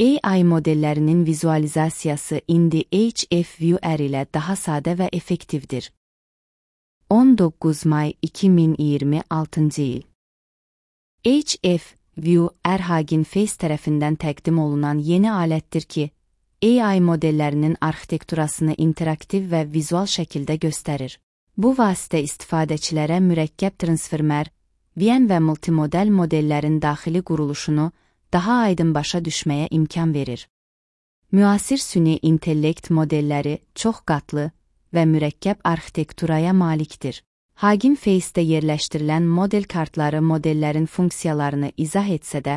AI modellərinin vizualizasiyası indi HFVR ilə daha sadə və effektivdir. 19 may 2026 il. HFVR Hugging Face tərəfindən təqdim olunan yeni alətdir ki, AI modellərinin arxitekturasını interaktiv və vizual şəkildə göstərir. Bu vasitə istifadəçilərə mürəkkəb transformer, VN və multimodel modellərin daxili quruluşunu daha aydın başa düşməyə imkan verir. Müasir süni intellekt modelləri çox qatlı və mürəkkəb arxitekturaya malikdir. Hugging Face-də yerləşdirilən model kartları modellərin funksiyalarını izah etsə də,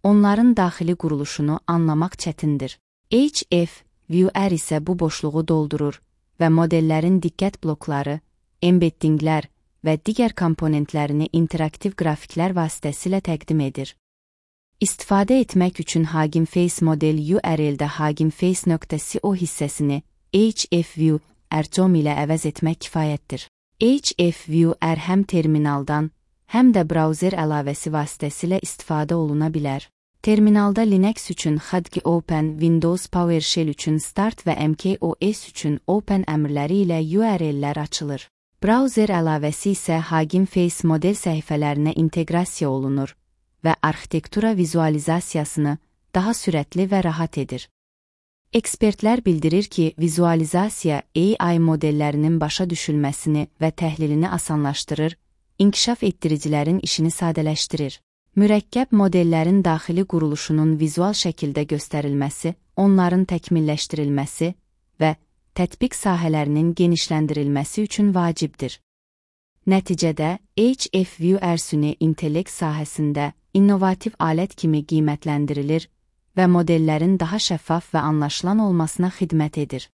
onların daxili quruluşunu anlamaq çətindir. HFVR isə bu boşluğu doldurur və modellərin diqqət blokları, embeddinglər və digər komponentlərini interaktiv qrafiklər vasitəsilə təqdim edir. İstifadə etmək üçün Hugging Face model URL-də huggingface.co hissəsini HFVR.com ilə əvəz etmək kifayətdir. HFVR həm terminaldan, həm də brauzer əlavəsi vasitəsilə istifadə oluna bilər. Terminalda Linux üçün Hudgy Open, Windows PowerShell üçün Start və macOS üçün Open əmrləri ilə URL-lər açılır. Brauzer əlavəsi isə Hugging Face model səhifələrinə inteqrasiya olunur və arxitektura vizualizasiyasını daha sürətli və rahat edir. Ekspertlər bildirir ki, vizualizasiya AI modellərinin başa düşülməsini və təhlilini asanlaşdırır, inkişaf etdiricilərin işini sadələşdirir. Mürəkkəb modellərin daxili quruluşunun vizual şəkildə göstərilməsi, onların təkmilləşdirilməsi və tətbiq sahələrinin genişləndirilməsi üçün vacibdir. Nəticədə, HFVR süni intellekt sahəsində innovativ alət kimi qiymətləndirilir və modellərin daha şəffaf və anlaşılan olmasına xidmət edir.